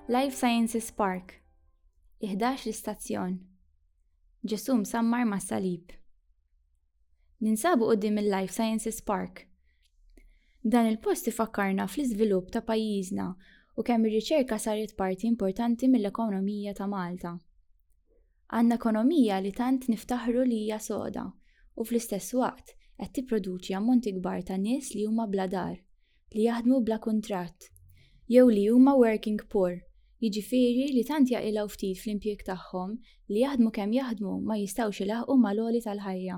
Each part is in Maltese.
Life Sciences Park, 11 l-istazzjon. Ġesù msammar mas-salib. Ninsabu quddiem il-Life Sciences Park. Dan il-post ifakkarna fl-iżvilupp ta' pajjiżna u kemm ir-riċerka saret parti importanti mill-ekonomija ta' Malta. Għandna ekonomija li tant niftaħru li hija soda u fl-istess waqt qed tipproduċi ammonti kbar ta' nies li huma bla dar, li jaħdmu bla kuntratt, jew li huma working poor, jiġifieri li tant jaqilgħu ftit fl-impjieg tagħhom li jaħdmu kemm jaħdmu ma jistgħux ilaħħqu mal-għoli tal-ħajja.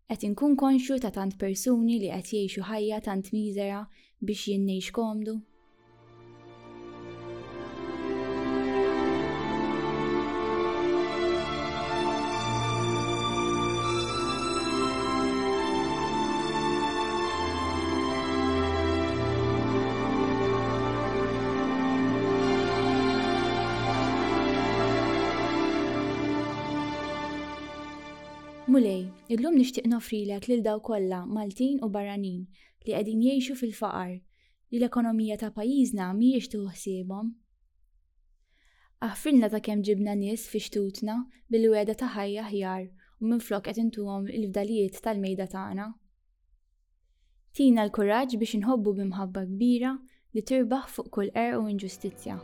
Qed inkun konxju ta' tant persuni li qed jgħixu ħajja tant miżera biex jien ngħix komdu? Mulej, illum nixtieq noffrilek lil dawk kollha, Maltin u barranin, li qegħdin jgħixu fil-faqar, li l-ekonomija ta' pajjiżna mhijiex tieħu ħsiebhom. Aħfrilna ta' kemm ġibna nies fi xtutna bil-wegħda ta' ħajja aħjar u minflok qed intuhom il-fdalijiet tal-mejda tagħna. Tina l-kuraġġ biex inħobbu b'imħabba kbira li tirbaħ fuq kull qerq u inġustizzja.